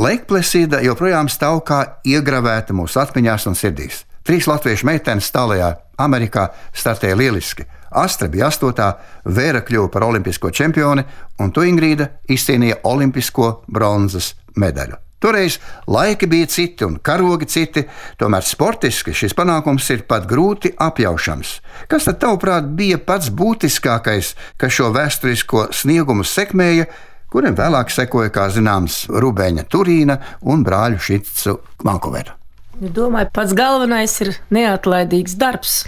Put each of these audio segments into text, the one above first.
Lake Placida joprojām stāv kā iegravēta mūsu atmiņās un sirdīs. 3 latviešu meitenes tālajā Amerikā startēja lieliski. Astra bija 8, Vēra kļuva par olimpisko čempioni, un tu, Ingrīda, izcīnīja olimpisko bronzas medaļu. Toreiz laiki bija citi un karogi citi, tomēr sportiski šis panākums ir pat grūti apjaušams. Kas tad, tavuprāt, bija pats būtiskākais, kas šo vēsturisko sniegumu sekmēja, kuriem vēlāk sekoja, kā zināms, Rubeņa Turīna un brāļu Šicu Vankūveru? Domāju, pats galvenais ir neatlaidīgs darbs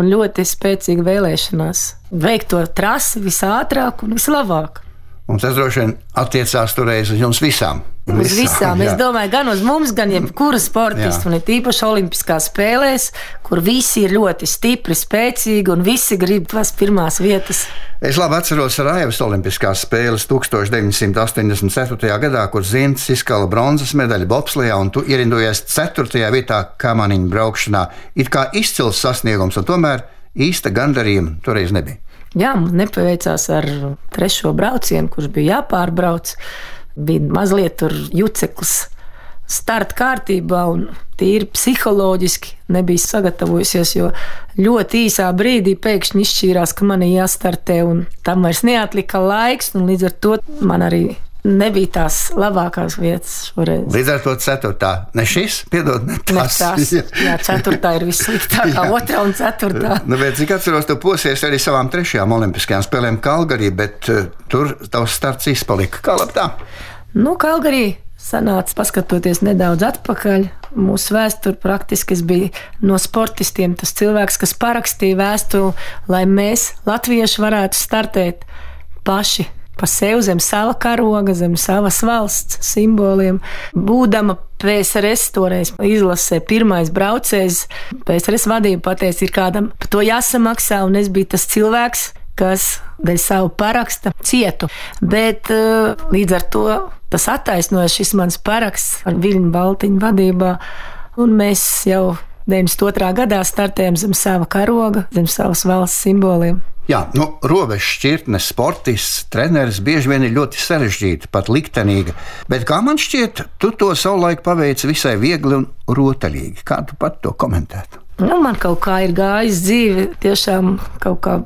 un ļoti spēcīga vēlēšanās veikt to trasi visātrāk un vislabāk. Un tas droši vien attiecās toreiz uz jums visām. Uz visām. Es domāju, gan uz mums, gan jebkura sportistu, un tīpaši olimpiskās spēlēs, kur visi ir ļoti stipri, spēcīgi un visi grib tās pirmās vietas. Es labi atceros Sarajevas olimpiskās spēles 1984. gadā, kur Zints izkala bronzas medaļu bobslejā, un tu ierindojies 4. vietā kamaniņu braukšanā. It kā izcils sasniegums, un tomēr īsta gandarījuma toreiz nebija. Jā, mums nepaveicās ar 3. braucienu, kurš bija jāpārbrauc. Bija mazliet tur juceklis starta kārtībā un tīri psiholoģiski nebija sagatavojusies, jo ļoti īsā brīdī pēkšņi izšķīrās, ka man ir jāstartē, un tam vairs neatlika laiks, un līdz ar to man arī nebija tās labākās vietas šoreiz. Līdz ar to 4. Ne šis, piedod, ne tas. Jā, 4. ir vissliktākā, 2. un 4. Nu, bet cik atceros, tu posies arī savām 3. olimpiskajām spēlēm Kalgarī, bet tur tavs starts izpalika. Kā labi tā? Nu, Kalgarī sanāca, paskatoties nedaudz atpakaļ. Mūsu vēsture praktiski bija no sportistiem tas cilvēks, kas parakstīja vēstuli, lai mēs, latvieši, varētu startēt paši pa sevi zem sava karoga, zem savas valsts simboliem. Būdama PSRS toreiz izlasē pirmais braucējs, PSRS vadība pateica, ir kādam par to jāsamaksā, un es biju tas cilvēks, kas dēļ savu paraksta cietu. Bet līdz ar to tas attaisnoja šis mans paraksts ar Viļņu Baltiņu vadībā, un mēs jau 92. gadā startējam zem sava karoga, zem savas valsts simboliem. Jā, robežu šķirtnes, sportists, treneris bieži vien ir ļoti sarežģīta, pat liktenīga, bet kā man šķiet, tu to savulaik paveici visai viegli un rotaļīgi. Kā tu pat to komentētu? Man kaut kā ir gājis dzīve, tiešām kaut kā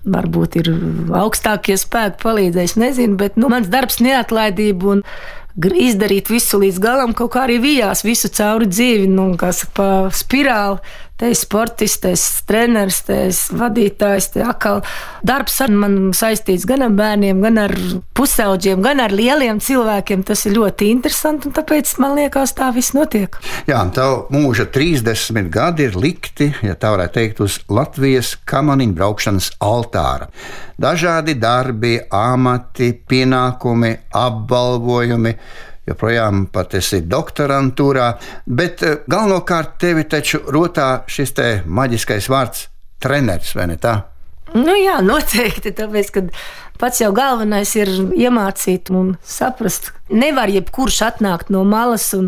varbūt ir augstākie spēki palīdzējuši, nezinu, bet mans darbs neatlaidība un izdarīt visu līdz galam, kaut kā arī vijās visu cauri dzīvi, kā saka, pa spirāli. Te ir sportists, te ir treneris, te ir vadītājs, te atkal darbs ar man saistīts gan ar bērniem, gan ar pusauģiem, gan ar lieliem cilvēkiem. Tas ir ļoti interesanti, un tāpēc man liekas, tā viss notiek. Jā, tavu mūža 30 gadi ir likti, ja tā varētu teikt, uz Latvijas kamaniņu braukšanas altāra. Dažādi darbi, amati, pienākumi, apbalvojumi. Joprojām pat esi doktorantūrā, bet galvenokārt tevi taču rotā šis te maģiskais vārds treneris, vai ne tā? Jā, noteikti, tāpēc, ka pats jau galvenais ir iemācīt un saprast. Nevar jebkurš atnākt no malas, un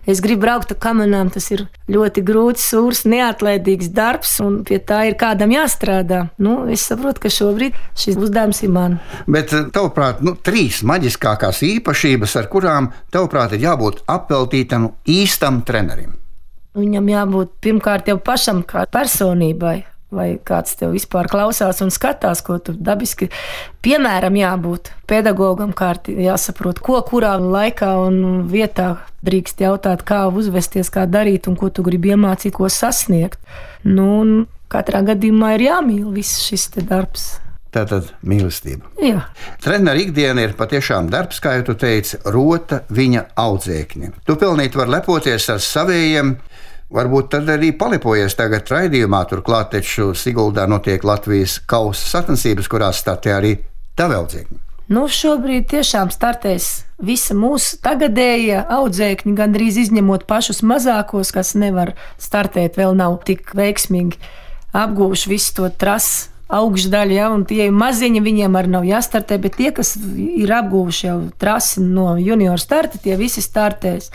es gribu braukt ar kamanām, tas ir ļoti grūts, sūrs, neatlaidīgs darbs, un pie tā ir kādam jāstrādā. Es saprotu, ka šobrīd šis uzdevums ir man. Bet, tavuprāt, 3 maģiskākās īpašības, ar kurām, tavuprāt, ir jābūt apveltītam īstam trenerim? Viņam jābūt pirmkārt jau pašam kā personībai. Vai kāds tev vispār klausās un skatās, ko tu dabiski, piemēram, jābūt pedagogam, jāsaprot, ko kurā laikā un vietā drīkst jautāt, kā uzvesties, kā darīt un ko tu gribi iemācīt, ko sasniegt. Katrā gadījumā ir jāmīl viss šis te darbs. Tātad mīlestība. Jā. Trenera ikdiena ir patiešām darbs, kā jau tu teici, rota viņa audzēkņi. Tu pilnīgi vari lepoties ar savējiem. Varbūt tad arī palipojies tagad raidījumā, turklāt taču Siguldā notiek Latvijas kausa sacensības, kurās startē arī tavi audzēkņi. Šobrīd tiešām startēs visa mūsu tagadējie audzēkņi, gandrīz izņemot pašus mazākos, kas nevar startēt, vēl nav tik veiksmīgi apgūši visu to trasi augšdaļu, un tie maziņi, viņiem arī nav jāstartē, bet tie, kas ir apguvuši jau trasi no junioru starta, tie visi startēs.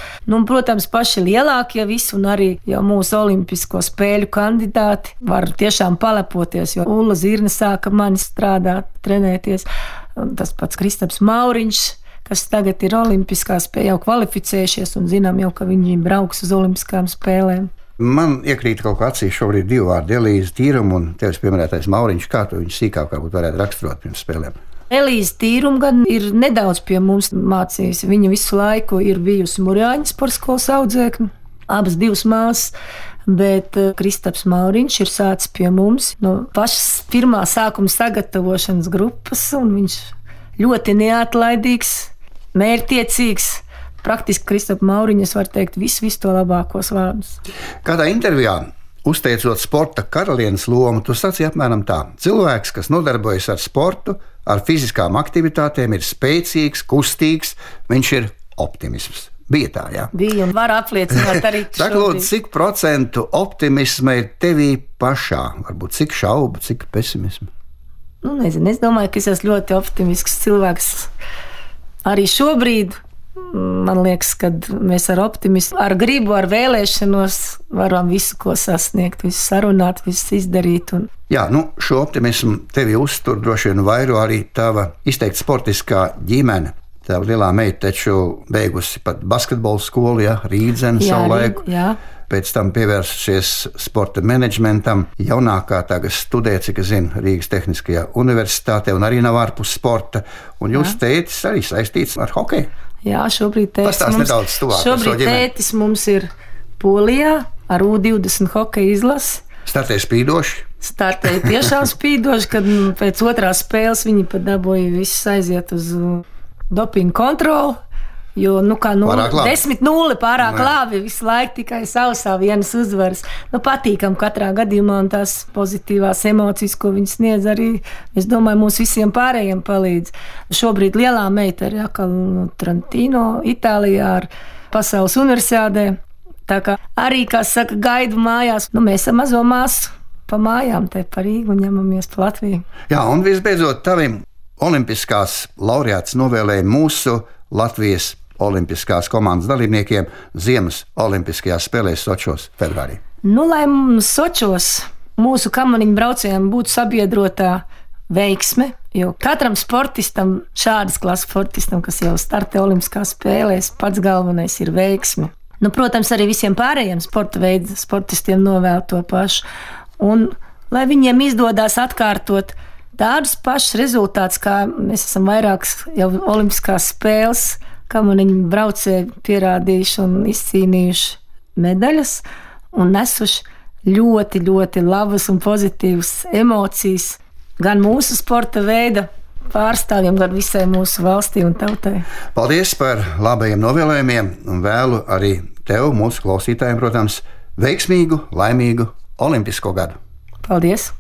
Protams, paši lielākie visi un arī jau mūsu olimpisko spēļu kandidāti var tiešām palepoties, jo Ulla Zirne sāka mani strādāt, trenēties. Tas pats Kristaps Mauriņš, kas tagad ir olimpiskās spēlēs, jau kvalificējušies un zinām jau, ka viņi brauks uz olimpiskām spēlēm. Man iekrīt kaut kā acīs šobrīd 2 vārdi - Elīze Tīruma un tevis pieminētais Mauriņš. Kā tu viņu sīkāk varētu raksturot pirms spēlēm? Elīze Tīruma gan ir nedaudz pie mums mācījusi. Viņa visu laiku ir bijusi Murjāņu sporta skolas audzēkne, abas 2 māsas. Bet Kristaps Mauriņš ir sācis pie mums no pašas pirmā sākuma sagatavošanas grupas, un viņš ļoti neatlaidīgs, mērķtiecīgs. Praktiski Kristapa Mauriņa, es varu teikt, visu to labākos vārdus. Kādā intervijā, uzteicot sporta karalienes lomu, tu sacīji apmēram tā: cilvēks, kas nodarbojas ar sportu, ar fiziskām aktivitātēm, ir spēcīgs, kustīgs, viņš ir optimisms. Bija tā, jā. Bija un var apliecināt arī Saka, lūdzu, cik procentu optimisma ir tevī pašā? Varbūt cik šaubu, cik pesimismu? Nezinu, es domāju, ka es esmu ļoti optimisks cilvēks. Arī šobrīd man liekas, ka mēs ar optimismu, ar gribu, ar vēlēšanos varam visu, ko sasniegt, visu sarunāt, visu izdarīt. Jā, šo optimismu tevi uztur droši vien vairo arī tava izteikti sportiskā ģimene. Tā lielā meita taču beigusi pat basketbola skolu, Rīdzeni savulaik. Pēc tam pievērsusies sporta menedžmentam. Jaunākā tagad studē, cik es zinu, Rīgas Tehniskajā universitātē un arī nav ārpus sporta. Un jūs tētis arī saistīts ar hokeju? Jā, šobrīd tētis mums ir Polijā ar U20 hokeja izlasi. Startēja spīdoši? Startēja tiešām spīdoši, kad pēc otrās spēles viņi pat dabūja visus aiziet uz dopingu kontroli. Jo 10-0 pārāk labi, visu laiku tikai sausā vienas uzvaras. Patīkam katrā gadījumā, un tās pozitīvās emocijas, ko viņi sniedz, arī, es domāju, mums visiem pārējiem palīdz. Šobrīd lielā meita ir Trentino, Itālijā ar pasaules universiādē. Tā kā arī, kā saka, gaidu mājās. Mēs ar mazo māsu pa mājām te par Rīgu un ņemamies pa Latviju. Jā, un visbeidzot tavim olimpiskās laureāts novēlēja mūsu Latvijas olimpiskās komandas dalībniekiem Ziemas olimpiskajās spēlēs Sočos februārī. Lai Sočos mūsu kamaniņu braucējiem būtu sabiedrotā veiksme, jo katram sportistam, šādas klases sportistam, kas jau startē olimpiskās spēlēs, pats galvenais ir veiksme. Protams, arī visiem pārējiem sporta veidu sportistiem novēl to pašu. Un lai viņiem izdodas atkārtot tādus pašus rezultātus, kā mēs esam vairākas jau olimpiskās spēles, kamaniņu braucēji pierādījuši un izcīnījuši medaļas un nesuši ļoti, ļoti labas un pozitīvas emocijas gan mūsu sporta veida pārstāvjiem, gan visai mūsu valstī un tautai. Paldies par labajiem novēlējumiem un vēlu arī tev, mūsu klausītājiem, protams, veiksmīgu, laimīgu olimpisko gadu. Paldies!